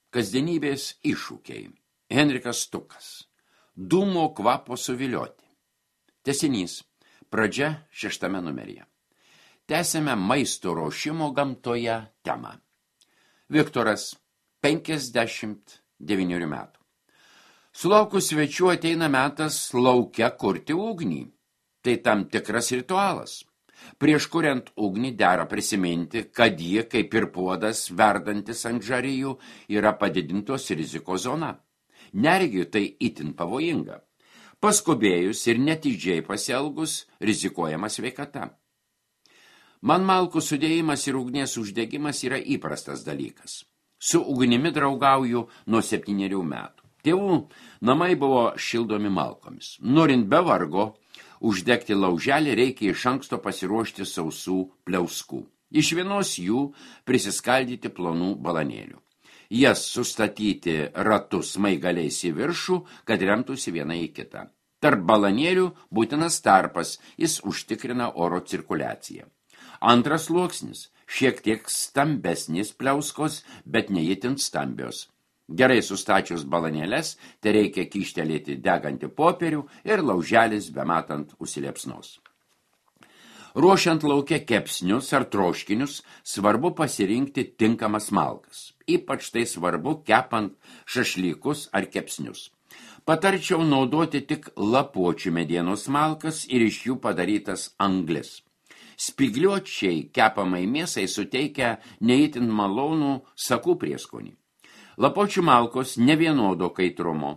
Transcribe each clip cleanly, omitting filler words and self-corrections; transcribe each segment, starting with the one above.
Kasdienybės iššūkiai. Henrikas Stukas. Dūmo kvapo suvilioti. Tęsinys. Pradžia 6 numeryje. Tęsime maisto ruošimo gamtoje temą. Viktoras, 59 metų. Sulaukus svečių ateina metas lauke kurti ugnį. Tai tam tikras ritualas. Prieš kuriant ugnį dera prisiminti, kad ji, kaip ir puodas verdantis ant žarijų, yra padidintos rizikos zona. Neregiui tai itin pavojinga. Paskubėjus ir netidžiai pasielgus, rizikuojama sveikata. Man malkų sudėjimas ir ugnies uždegimas yra įprastas dalykas. Su ugnimi draugauju nuo 7 metų. Tėvų namai buvo šildomi malkomis. Norint be vargo uždegti lauželį, reikia iš anksto pasiruošti sausų pliauskų. Iš vienos jų prisiskaldyti plonų balanėlių. Jas sustatyti ratus maigaliais į viršų, kad remtųsi viena į kitą. Tarp balanėlių būtinas tarpas, jis užtikrina oro cirkuliaciją. Antras sluoksnis, šiek tiek stambesnis pliauskos, bet neįtin stambios. Gerai sustačius balanėles, tai reikia kyštelėti degantį popierių ir lauželis bematant užsiliepsnos. Ruošiant lauke kepsnius ar troškinius, svarbu pasirinkti tinkamas malkas. Ypač tai svarbu kepant šašlykus ar kepsnius. Patarčiau naudoti tik lapuočių medienos malkas ir iš jų padarytas anglis. Spygliuočiai kepamai mėsai suteikia neįtin malonų sakų prieskonį. Lapuočių malkos nevienodo kaitrumo.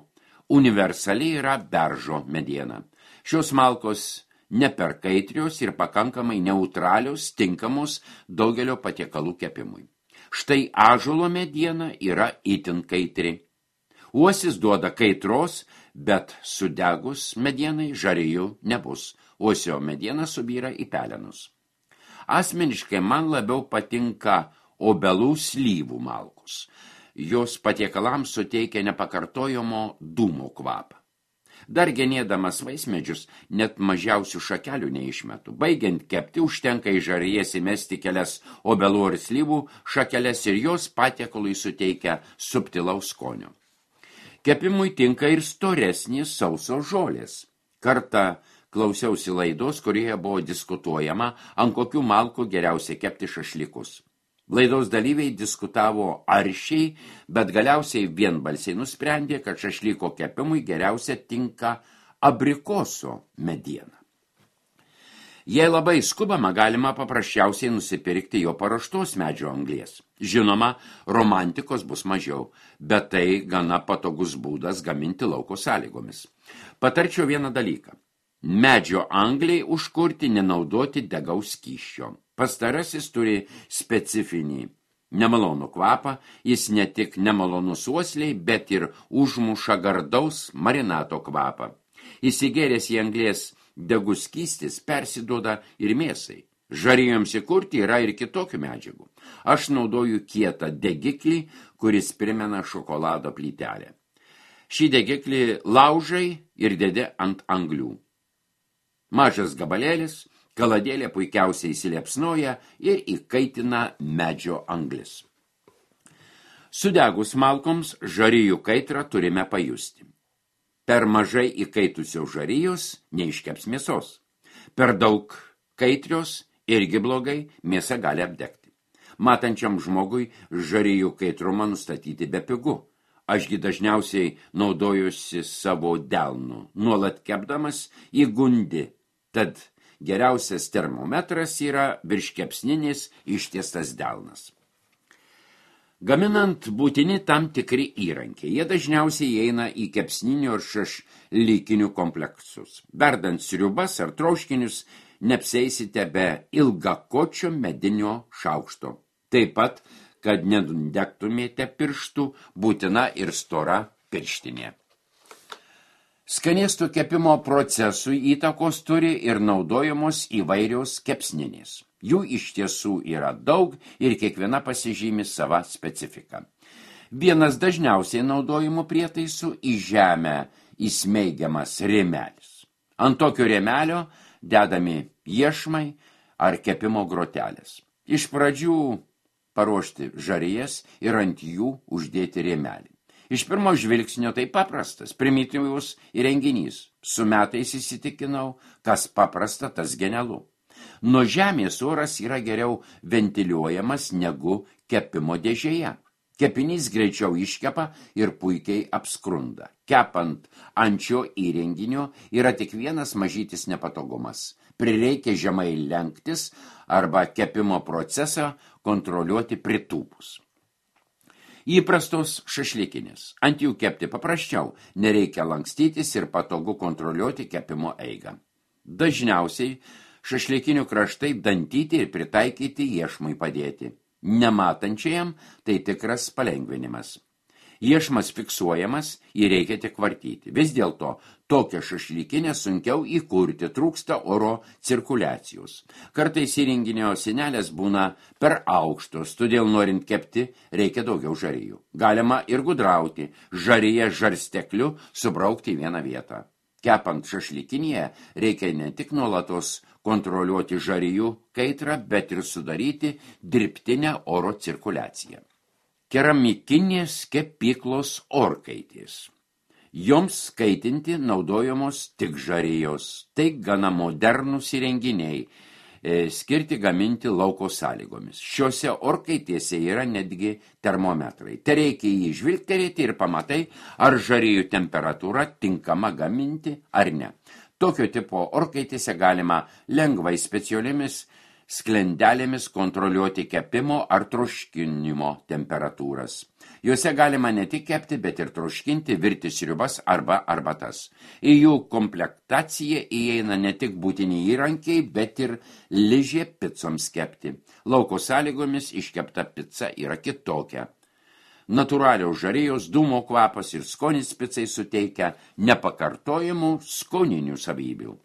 Universaliai yra beržo mediena. Šios malkos neperkaitrios ir pakankamai neutralios, tinkamos daugelio patiekalų kepimui. Štai ąžuolo mediena yra itin kaitri. Uosis duoda kaitros, bet sudegus medienai žarijų nebus. Uosio mediena subyra į pelenus. Asmeniškai man labiau patinka obelų slyvų malkos. Jos patiekalams suteikia nepakartojamo dūmo kvapą. Dar genėdamas vaismedžius, net mažiausių šakelių neišmetu. Baigiant kepti, užtenka į žarijas įmesti kelias obelų ir slyvų šakeles ir jos patiekalui suteikia subtilaus skonio. Kepimui tinka ir storesnės sausos žolės. Kartą klausiausi laidos, kurioje buvo diskutuojama, ant kokių malkų geriausia kepti šašlykus. Laidos dalyviai diskutavo aršiai, bet galiausiai vienbalsiai nusprendė, kad šašlyko kepimui geriausia tinka abrikoso mediena. Jei labai skubama, galima paprasčiausiai nusipirkti jo paruoštos medžio anglies. Žinoma, romantikos bus mažiau, bet tai gana patogus būdas gaminti lauko sąlygomis. Patarčiau vieną dalyką. Medžio angliai užkurti nenaudoti degaus skysčio. Pastarasis turi specifinį nemalonų kvapą, jis ne tik nemalonus uosliai, bet ir užmuša gardaus marinato kvapą. Įsigėręs į anglies degus skystis persiduoda ir mėsai. Žarijoms įkurti yra ir kitokių medžiagų. Aš naudoju kietą degiklį, kuris primena šokolado plytelę. Šį degiklį laužai ir dedi ant anglių. Mažas gabalėlis, kaladėlė puikiausiai įsiliepsnoja ir įkaitina medžio anglis. Sudegus malkoms žarijų kaitrą turime pajusti. Per mažai įkaitusios žarijos neiškeps mėsos. Per daug kaitrios irgi blogai, mėsa gali apdegti. Matančiam žmogui žarijų kaitrumą nustatyti bepigu. Ašgi dažniausiai naudojusi savo delnu, nuolat kepdamas įgundi. Tad geriausias termometras yra virškepsninis ištiestas delnas. Gaminant būtini tam tikri įrankiai. Jie dažniausiai įeina į kepsninių ir šašlykinių kompleksus. Verdant sriubas ar troškinius neapsieisite be ilgakočio medinio šaukšto. Taip pat, kad nedegtumėte pirštų, būtina ir stora pirštinė. Skanėstų kepimo procesui įtakos turi ir naudojamos įvairios kepsninės. Jų iš tiesų yra daug ir kiekviena pasižymi sava specifika. Vienas dažniausiai naudojimų prietaisų į žemę įsmeigiamas rėmelis. Ant tokio rėmelio dedami iešmai ar kepimo grotelės. Iš pradžių paruošti žarijas ir ant jų uždėti rėmelį. Iš pirmo žvilgsnio tai paprastas, primityvus įrenginys. Su metais įsitikinau, kas paprasta, tas genialu. Nuo žemės oras yra geriau ventiliuojamas negu kepimo dėžėje. Kepinys greičiau iškepa ir puikiai apskrunda. Kepant ant šio įrenginio yra tik vienas mažytis nepatogumas. Prireikia žemai lenktis arba kepimo procesą kontroliuoti pritūpus. Įprastos šašlykinės. Ant jų kepti paprasčiau, nereikia lankstytis ir patogu kontroliuoti kepimo eigą. Dažniausiai šašlykinių kraštai dantyti ir pritaikyti iešmui padėti. Nematančiajam tai tikras palengvinimas. Iešmas fiksuojamas, jį reikia tik vartyti. Vis dėlto tokią šašlykinę sunkiau įkurti, trūksta oro cirkuliacijos. Kartais įrenginio sienelės būna per aukštos, todėl norint kepti reikia daugiau žarijų. Galima ir gudrauti, žariją žarstekliu subraukti į vieną vietą. Kepant šašlykinėje reikia ne tik nuolatos kontroliuoti žarijų kaitrą, bet ir sudaryti dirbtinę oro cirkuliaciją. Keramikinės kepyklos orkaitės. Joms kaitinti naudojamos tik žarijos. Tai gana modernūs įrenginiai, skirti gaminti lauko sąlygomis. Šiuose orkaitėse yra netgi termometrai. Te reikia jį žvilgterėti ir pamatai, ar žarijų temperatūra tinkama gaminti ar ne. Tokio tipo orkaitėse galima lengvai specialiomis sklendelėmis kontroliuoti kepimo ar troškinimo temperatūras. Juose galima ne tik kepti, bet ir troškinti, virti sriubas arba arbatas. Į jų komplektaciją įeina ne tik būtini įrankiai, bet ir ližė picoms kepti. Lauko sąlygomis iškepta pica yra kitokia. Natūralios žarijos, dūmo kvapas ir skonis picai suteikia nepakartojamų skoninių savybių.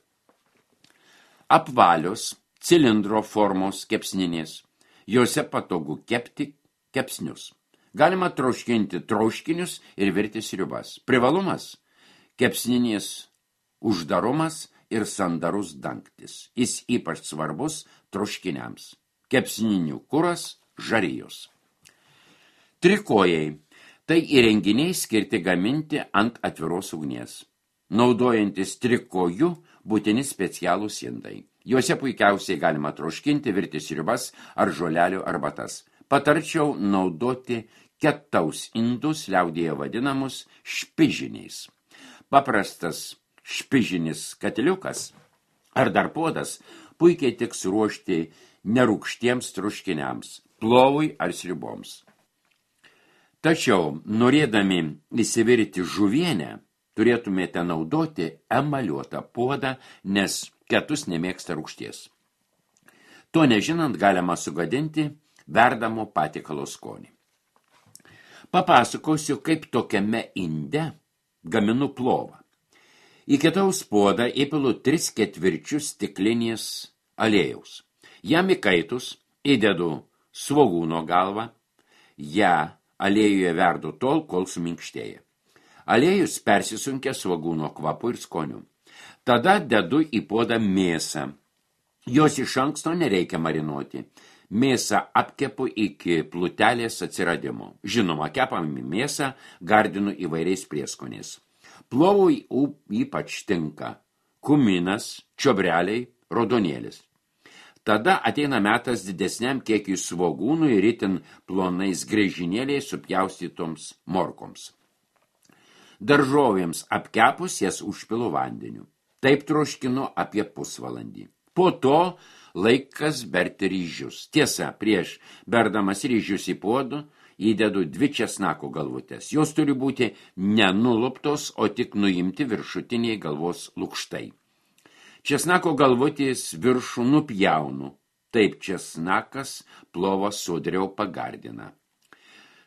Apvalios cilindro formos kepsninės. Jose patogu kepti kepsnius. Galima troškinti troškinius ir virti sriubas. Privalumas – kepsninės uždarumas ir sandarus dangtis. Jis ypač svarbus troškiniams. Kepsninių kuras – žarijos. Trikojai – tai įrenginiai skirti gaminti ant atviros ugnies. Naudojantis trikojų būtini specialūs indai. Juose puikiausiai galima troškinti, virti sriubas ar žolelių arbatas. Patarčiau naudoti ketaus indus, liaudyje vadinamus špižiniais. Paprastas špižinis katiliukas ar dar puodas puikiai tiks ruošti nerūgštiems troškiniams, plovui ar sriuboms. Tačiau, norėdami įsivirti žuvienę, turėtumėte naudoti emaliuotą puodą, nes ketus nemėgsta rūgšties. To nežinant galima sugadinti verdamo patiekalo skonį. Papasakosiu, kaip tokiame inde gaminu plovą. Į ketaus puodą įpilu 3/4 stiklinės aliejaus. Jam įkaitus įdedu svogūno galvą, ją aliejuje verdu tol, kol suminkštėja. Aliejus persisunkia svogūno kvapu ir skoniu. Tada dedu į puodą mėsą. Jos iš anksto nereikia marinuoti. Mėsą apkepu iki plutelės atsiradimo. Žinoma, kepami mėsą gardinu įvairiais prieskoniais. Plovui ypač tinka kuminas, čiobreliai, raudonėlis. Tada ateina metas didesniam kiekiui svogūnų ir itin plonais griežinėliais supjaustytoms morkoms. Daržovėms apkepus jas užpilu vandeniu. Taip troškinu apie pusvalandį. Po to laikas berti ryžius. Tiesa, prieš berdamas ryžius į puodų įdedu 2 česnako galvutės. Jos turi būti nenuluptos, o tik nuimti viršutiniai galvos lukštai. Česnako galvutės viršų nupjaunu. Taip česnakas plovą sodriau pagardina.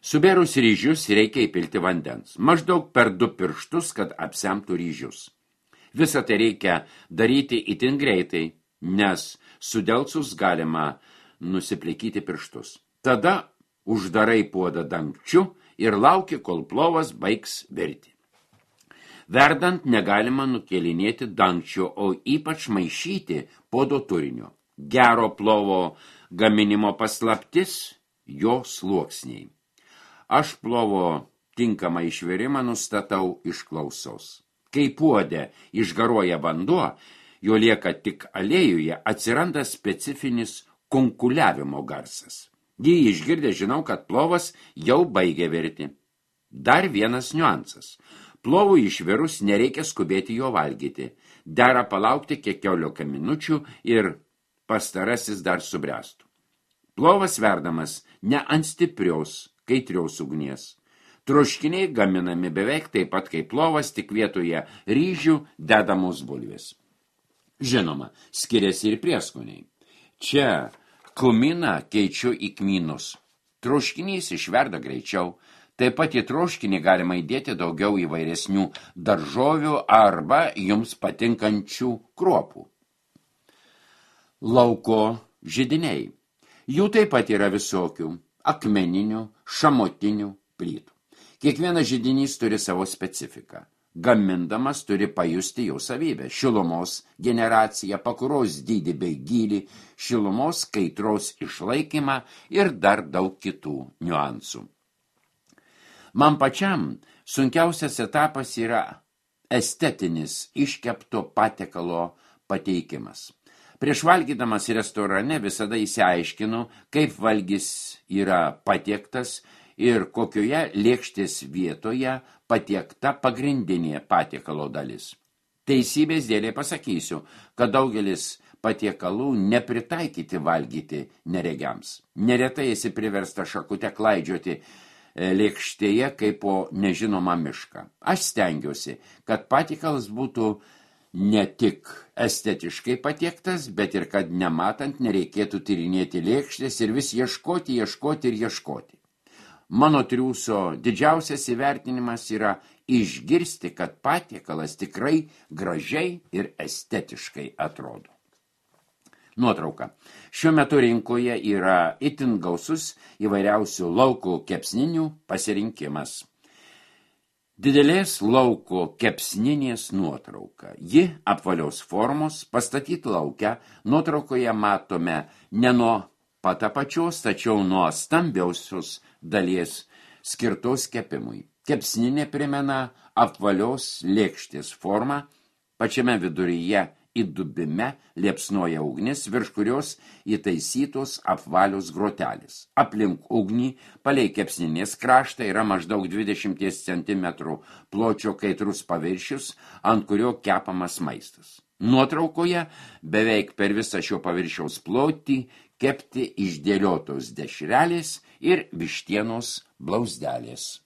Subėrus ryžius reikia įpilti vandens. Maždaug per 2 pirštus, kad apsemtų ryžius. Visą tai reikia daryti itin greitai, nes sudelsus galima nusiplikyti pirštus. Tada uždarai puodą dangčiu ir lauki, kol plovas baigs virti. Verdant negalima nukėlinėti dangčio, o ypač maišyti puodo turinio. Gero plovo gaminimo paslaptis jo sluoksniai. Aš plovo tinkamą išvirimą nustatau iš klausos. Kai puode išgaruoja vanduo, jo lieka tik aliejuje, atsiranda specifinis kunkuliavimo garsas. Jį išgirdę žinau, kad plovas jau baigė virti. Dar vienas niuansas. Plovui išvirus nereikia skubėti jo valgyti. Dera palaukti keliolika minučių ir pastarasis dar subręstų. Plovas verdamas ne ant stiprios, kaitrios ugnies. Troškiniai gaminami beveik taip pat kaip plovas, tik vietoje ryžių dedamos bulvės. Žinoma, skiriasi ir prieskoniai. Čia kuminą keičiu į kmynus. Troškinys išverda greičiau. Taip pat į troškinį galima įdėti daugiau įvairesnių daržovių arba jums patinkančių kruopų. Lauko židiniai. Jų taip pat yra visokių – akmeninių, šamotinių, plytų. Kiekvienas židinys turi savo specifiką. Gamindamas turi pajusti jau savybę – šilumos generaciją, pakuros dydį bei gylį, šilumos kaitros išlaikymą ir dar daug kitų niuansų. Man pačiam sunkiausias etapas yra estetinis iškepto patiekalo pateikimas. Prieš valgydamas restorane visada įsiaiškinu, kaip valgis yra patiektas ir kokioje lėkštės vietoje patiekta pagrindinė patiekalo dalis. Teisybės dėlei pasakysiu, kad daugelis patiekalų nepritaikyti valgyti neregiams. Neretai esi priversta šakute klaidžioti lėkštėje kaip po nežinomą mišką. Aš stengiuosi, kad patiekalas būtų ne tik estetiškai patiektas, bet ir kad nematant nereikėtų tyrinėti lėkštės ir vis ieškoti. Mano triūso didžiausias įvertinimas yra išgirsti, kad patiekalas tikrai gražiai ir estetiškai atrodo. Nuotrauka. Šiuo metu rinkoje yra itin gausus įvairiausių lauko kepsninių pasirinkimas. Didelės lauko kepsninės nuotrauka. Ji apvalios formos, pastatyti lauke. Nuotraukoje matome ne nuo pat apačios, tačiau nuo stambiausios dalies skirtos kepimui. Kepsninė primena apvalios lėkštės formą, pačiame viduryje įdubime liepsnoja ugnis, virš kurios įtaisytos apvalios grotelės. Aplink ugnį, palei kepsninės kraštą yra maždaug 20 cm pločio kaitrus paviršius, ant kurio kepamas maistas. Nuotraukoje beveik per visą šio paviršiaus plotį kepti išdėliotos dešrelės ir vištienos blauzdelės.